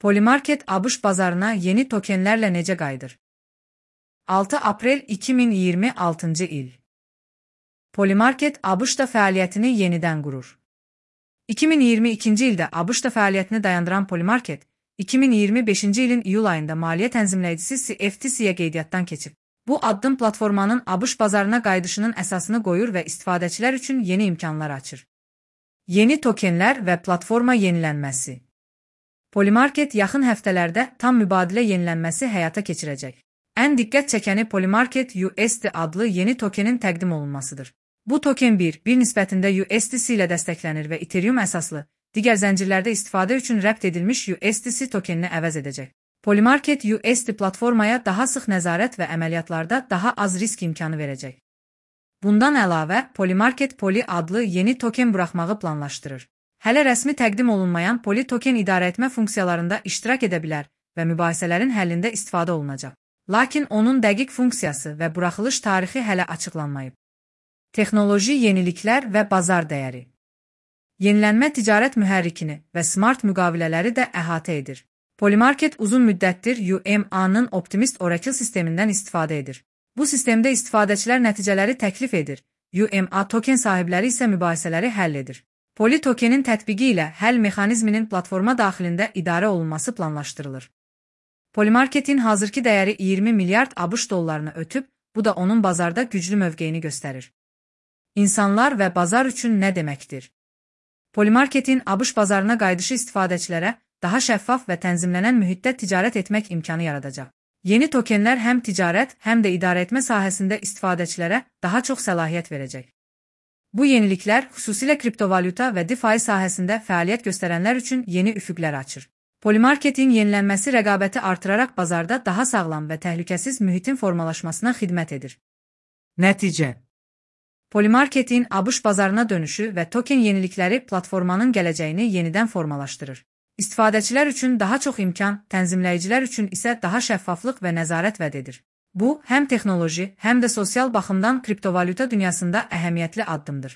Polymarket ABŞ bazarına yeni tokenlerle necə qayıdır? 6 aprel 2026 il. Polymarket ABŞ-da fəaliyyətini yenidən qurur. 2022-ci ildə ABŞ-da fəaliyyətini dayandıran Polymarket, 2025-ci ilin iyul ayında maliyyə tənzimləyicisi CFTC-yə qeydiyyatdan keçib. Bu addım platformanın ABŞ bazarına qayıdışının əsasını qoyur və istifadəçilər üçün yeni imkanlar açır. Yeni tokenlər və platforma yenilənməsi. Polymarket yaxın həftələrdə tam mübadilə yenilənməsi həyata keçirəcək. Ən diqqət çəkəni Polymarket USD adlı yeni tokenin təqdim olunmasıdır. Bu token 1 nisbətində USDC ilə dəstəklənir və Ethereum əsaslı, digər zəncirlərdə istifadə üçün rəbt edilmiş USDC tokenini əvəz edəcək. Polymarket USD platformaya daha sıx nəzarət və əməliyyatlarda daha az risk imkanı verəcək. Bundan əlavə, Polymarket Poly adlı yeni token buraxmağı planlaşdırır. Hələ rəsmi təqdim olunmayan Poly token idarəetmə funksiyalarında iştirak edə bilər və mübahisələrin həllində istifadə olunacaq. Lakin onun dəqiq funksiyası və buraxılış tarixi hələ açıqlanmayıb. Texnoloji yeniliklər və bazar dəyəri. Yenilənmə ticarət mühərrikini və smart müqavilələri də əhatə edir. Polymarket uzun müddətdir UMA-nın Optimist Oracle sistemindən istifadə edir. Bu sistemdə istifadəçilər nəticələri təklif edir, UMA token sahibləri isə mübahisələri həll edir. Poly tokenin tətbiqi ilə həll mexanizminin platforma daxilində idarə olunması planlaşdırılır. Polymarketin hazırki dəyəri 20 milyard ABŞ dollarını ötüb, bu da onun bazarda güclü mövqeyini göstərir. İnsanlar və bazar üçün nə deməkdir? Polymarketin ABŞ bazarına qayıdışı istifadəçilərə daha şəffaf və tənzimlənən mühitdə ticarət etmək imkanı yaradacaq. Yeni tokenlər həm ticarət, həm də idarəetmə sahəsində istifadəçilərə daha çox səlahiyyət verəcək. Bu yeniliklər xüsusilə kriptovalyuta və DeFi sahəsində fəaliyyət göstərənlər üçün yeni üfüqlər açır. Polymarketin yenilənməsi rəqabəti artıraraq bazarda daha sağlam və təhlükəsiz mühitin formalaşmasına xidmət edir. Nəticə. Polymarketin ABŞ bazarına dönüşü və token yenilikləri platformanın gələcəyini yenidən formalaşdırır. İstifadəçilər üçün daha çox imkan, tənzimləyicilər üçün isə daha şəffaflıq və nəzarət vəd edir. Bu, həm texnoloji, həm də sosial baxımdan kriptovalyuta dünyasında əhəmiyyətli addımdır.